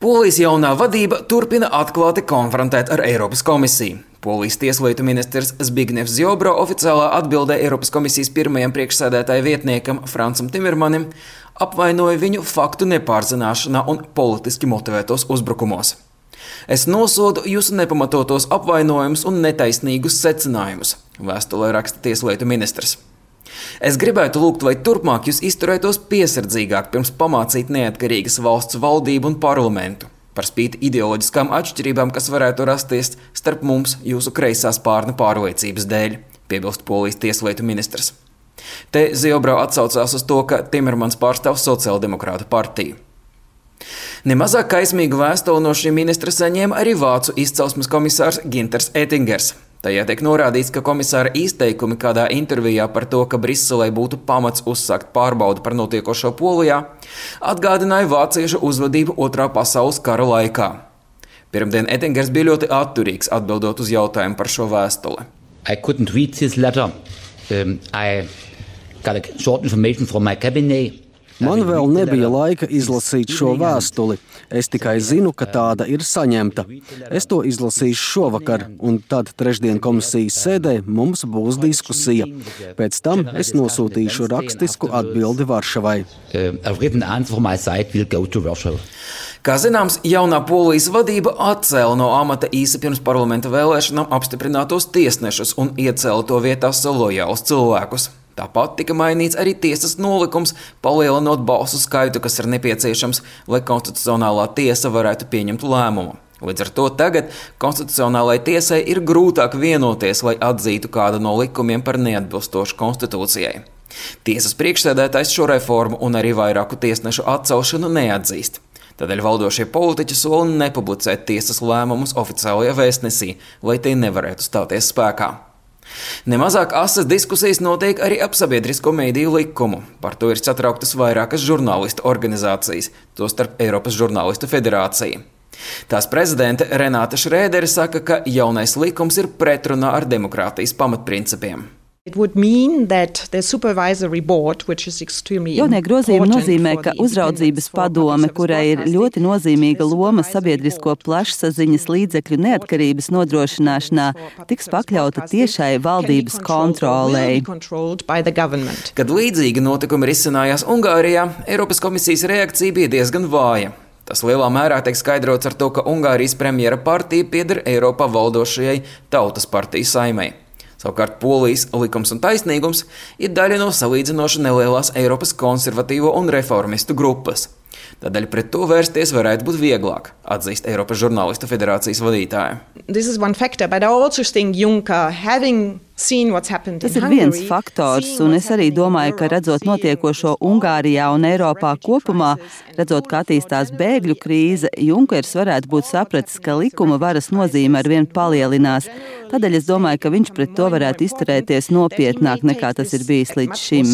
Polijas jaunā vadība turpina atklāti konfrontēt ar Eiropas komisiju. Polijas tieslietu ministrs Zbignevs Ziobro oficiālā atbildē Eiropas komisijas pirmajam priekšsēdētāja vietniekam Francam Timermanim apvainoja viņu faktu nepārzināšanā un politiski motivētos uzbrukumos. Es nosodu jūsu nepamatotos apvainojumus un netaisnīgus secinājumus, vēstulē raksta tieslietu ministrs. Es gribētu lūgt, lai turpmāk jūs izturētos piesardzīgāk pirms pamācīt neatkarīgas valsts valdību un parlamentu, par spīti ideoloģiskām atšķirībām, kas varētu rasties starp mums jūsu kreisā spārna pārliecības dēļ, piebilst Polijas tieslietu ministrs. Te Ziobro atsaucās uz to, ka Timermans pārstāv Sociāldemokrātu partiju. Nemazāk kaismīgu vēstuli no šī ministra saņēma arī vācu izcelsmes komisārs Günters Oettingers. Tajā tiek norādīts, ka komisāra izteikumi kādā intervijā par to, ka Briselē būtu pamats uzsākt pārbaudi par notiekošo Polijā, atgādināja vāciešu uzvedību Otrā pasaules kara laikā. Pirmdien Oettingers bija ļoti atturīgs atbildot uz jautājumu par šo vēstuli. I couldn't read this letter. I got a short information from my cabinet. Man vēl nebija laika izlasīt šo vēstuli. Es tikai zinu, ka tāda ir saņemta. Es to izlasīšu šovakar, un tad trešdien komisijas sēdē mums būs diskusija. Pēc tam es nosūtīšu rakstisku atbildi Varšavai. Kā zināms, jaunā Polijas vadība atcēla no amata īsi pirms parlamenta vēlēšanām apstiprinātos tiesnešus un iecēla to vietā lojālus cilvēkus. Tāpat tika mainīts arī tiesas nolikums, palielinot balsu skaitu, kas ir nepieciešams, lai konstitucionālā tiesa varētu pieņemt lēmumu. Līdz ar to tagad konstitucionālajai tiesai ir grūtāk vienoties, lai atzītu kādu no likumiem par neatbilstošu konstitūcijai. Tiesas priekšsēdētājs šo reformu un arī vairāku tiesnešu atcelšanu neatzīst. Tādēļ valdošie politiķi sola nepublicēt tiesas lēmumus oficiālajā vēstnesī, lai tie nevarētu stāties spēkā. Nemazāk asas diskusijas notiek arī ap sabiedrisko mediju likumu. Par to ir satrauktas vairākas žurnālistu organizācijas, tostarp Eiropas žurnālistu federācija. Tās prezidente Renāte Šrēdere saka, ka jaunais likums ir pretrunā ar demokrātijas pamatprincipiem. Jaunie grozījumi nozīmē, ka uzraudzības padome, kurai ir ļoti nozīmīga loma sabiedrisko plašsaziņas līdzekļu neatkarības nodrošināšanā, tiks pakļauta tiešai valdības kontrolei. Kad līdzīgi notikumi risinājās Ungārijā, Eiropas komisijas reakcija bija diezgan vāja. Tas lielā mērā tiek skaidrots ar to, ka Ungārijas premjera partija pieder Eiropā valdošajai Tautas partijas Saeimai. Savukārt Polijas likums un taisnīgums ir daļa no salīdzinoši nelielās Eiropas konservatīvo un reformistu grupas. Tādēļ pret to vērsties varētu būt vieglāk, atzīst Eiropas žurnālistu federācijas vadītāja. Tas ir viens faktors, un es arī domāju, ka redzot notiekošo Ungārijā un Eiropā kopumā, redzot, kā attīstās bēgļu krīze, Junkers varētu būt sapratis, ka likuma varas nozīme arvien palielinās. Tādēļ es domāju, ka viņš pret to varētu izturēties nopietnāk nekā tas ir bijis līdz šim.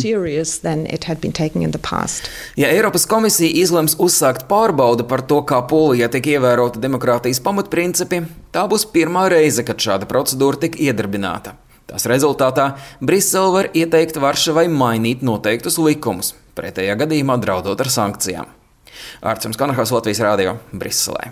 Ja Eiropas komisija izlems uzsākt pārbaudi par to, kā Polijā tiek ievērota demokrātijas pamatprincipi, tā būs pirmā reize, kad šāda procedūra tiek iedarbināta. Tās rezultātā Brisele var ieteikt Varšavai mainīt noteiktus likumus, pretējā gadījumā draudot ar sankcijām. Ārts Kanahals, Latvijas Rādio, Briselē.